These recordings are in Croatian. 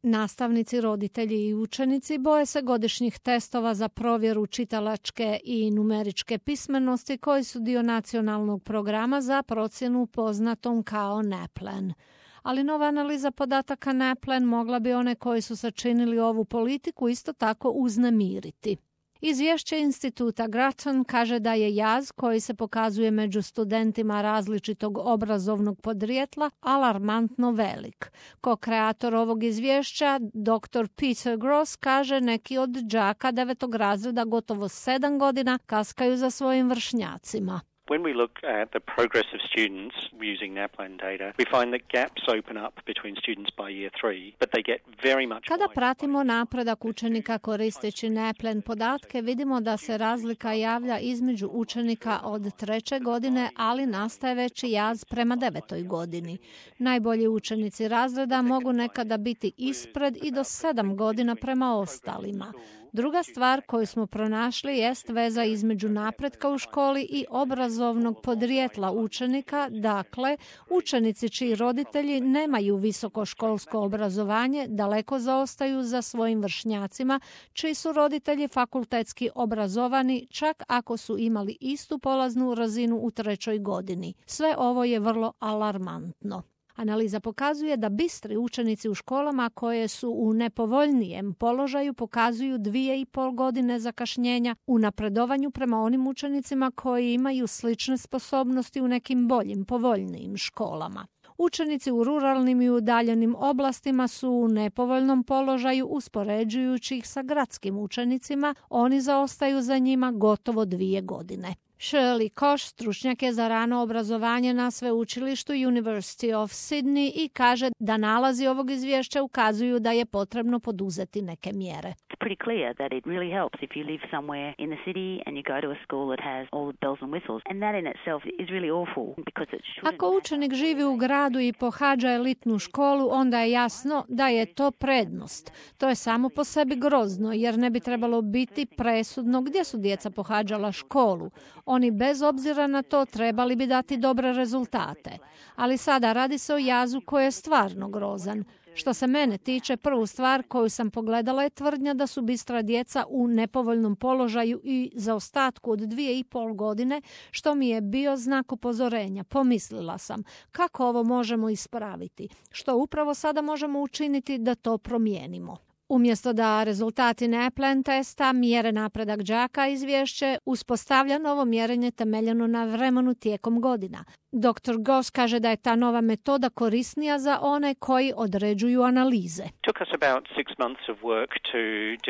Nastavnici, roditelji i učenici boje se godišnjih testova za provjeru čitalačke i numeričke pismenosti koji su dio nacionalnog programa za procjenu poznatom kao NAPLAN. Ali nova analiza podataka NAPLAN mogla bi one koji su sačinili ovu politiku isto tako uznemiriti. Izvješće instituta Grattan kaže da je jaz koji se pokazuje među studentima različitog obrazovnog podrijetla alarmantno velik. Ko-kreator ovog izvješća, dr. Peter Gross, kaže neki od đaka 9. razreda gotovo 7 godina kaskaju za svojim vršnjacima. When we look at the progress of students using NAPLAN data, we find that gaps open up between students by year 3, but they get very much. Kada pratimo napredak učenika koristeći NAPLAN podatke, vidimo da se razlika javlja između učenika od 3. godine, ali nastaje veći jaz prema 9. godini. Najbolji učenici razreda mogu nekada biti ispred i do 7 godina prema ostalima. Druga stvar koju smo pronašli jest veza između napretka u školi i obrazovnog podrijetla učenika, dakle, učenici čiji roditelji nemaju visokoškolsko obrazovanje daleko zaostaju za svojim vršnjacima, čiji su roditelji fakultetski obrazovani, čak ako su imali istu polaznu razinu u 3. godini. Sve ovo je vrlo alarmantno. Analiza pokazuje da bistri učenici u školama koje su u nepovoljnijem položaju pokazuju 2,5 godine zakašnjenja u napredovanju prema onim učenicima koji imaju slične sposobnosti u nekim boljim, povoljnijim školama. Učenici u ruralnim i udaljenim oblastima su u nepovoljnom položaju uspoređujući ih sa gradskim učenicima, oni zaostaju za njima gotovo 2 godine. Shirley Kosh stručnjak je za rano obrazovanje na sveučilištu University of Sydney i kaže da nalazi ovog izvješća ukazuju da je potrebno poduzeti neke mjere. Pretty clear that it really helps if you live somewhere in the city and you go to a school that has all the bells and whistles, and that in itself is really awful because it shouldn't. Ako učenik živi u gradu i pohađa elitnu školu, onda je jasno da je to prednost. To je samo po sebi grozno, jer ne bi trebalo biti presudno gdje su djeca pohađala školu. Oni bez obzira na to trebali bi dati dobre rezultate. Ali sada radi se o jazu koji je stvarno grozan. Što se mene tiče, prvu stvar koju sam pogledala je tvrdnja da su bistra djeca u nepovoljnom položaju i zaostatku od 2,5 godine, što mi je bio znak upozorenja. Pomislila sam, kako ovo možemo ispraviti? Što upravo sada možemo učiniti da to promijenimo? Umjesto da rezultati NAPLAN testa mjere napredak đaka, izvješće uspostavlja novo mjerenje temeljeno na vremenu tijekom godina. Dr. Goss kaže da je ta nova metoda korisnija za one koji određuju analize. Took us about 6 months of work to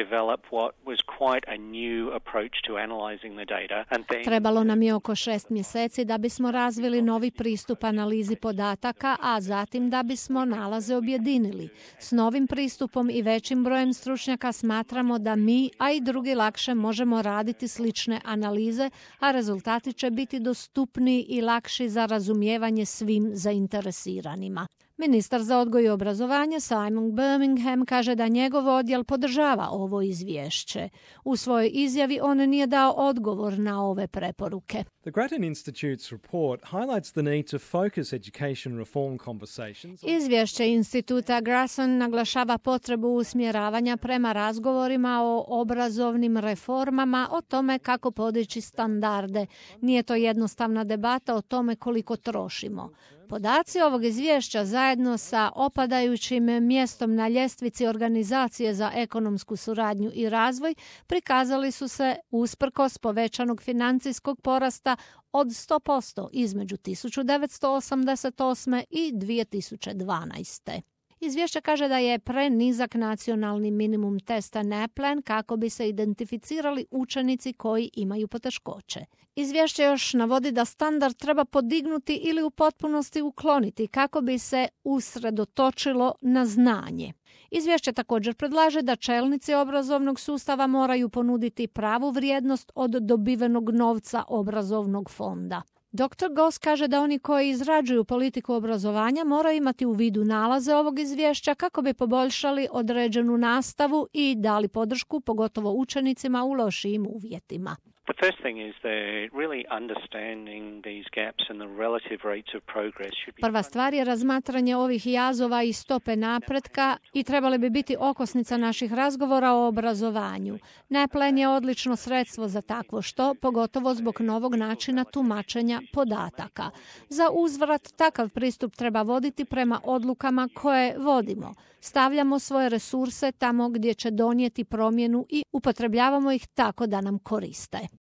develop what was quite a new approach to analyzing the data. And then Trebalo nam je oko 6 mjeseci da bismo razvili novi pristup analizi podataka, a zatim da bismo nalaze objedinili. S novim pristupom i većim brojem stručnjaka smatramo da mi, a i drugi lakše možemo raditi slične analize, a rezultati će biti dostupniji i lakši za razumijevanje svim zainteresiranima. Ministar za odgoj i obrazovanje Simon Birmingham kaže da njegov odjel podržava ovo izvješće. U svojoj izjavi on nije dao odgovor na ove preporuke. The Grattan Institute's report highlights the need to focus education reform conversations. Izvješće instituta Grattan naglašava potrebu usmjeravanja prema razgovorima o obrazovnim reformama, o tome kako podići standarde. Nije to jednostavna debata o tome koliko trošimo. Podaci ovog izvješća zajedno sa opadajućim mjestom na ljestvici Organizacije za ekonomsku suradnju i razvoj prikazali su se usprkos povećanog financijskog porasta od 100% između 1988. i 2012. Izvješće kaže da je prenizak nacionalni minimum testa NAPLAN kako bi se identificirali učenici koji imaju poteškoće. Izvješće još navodi da standard treba podignuti ili u potpunosti ukloniti kako bi se usredotočilo na znanje. Izvješće također predlaže da čelnici obrazovnog sustava moraju ponuditi pravu vrijednost od dobivenog novca obrazovnog fonda. Dr. Goss kaže da oni koji izrađuju politiku obrazovanja moraju imati u vidu nalaze ovog izvješća kako bi poboljšali određenu nastavu i dali podršku pogotovo učenicima u lošijim uvjetima. The first thing is that really understanding these gaps and the relative rates of progress should be... Prva stvar je razmatranje ovih jazova i stope napretka i trebali bi biti okosnica naših razgovora o obrazovanju. NAPLAN je odlično sredstvo za takvo što, pogotovo zbog novog načina tumačenja podataka. Za uzvrat, takav pristup treba voditi prema odlukama koje vodimo. Stavljamo svoje resurse tamo gdje će donijeti promjenu i upotrebljavamo ih tako da nam koriste.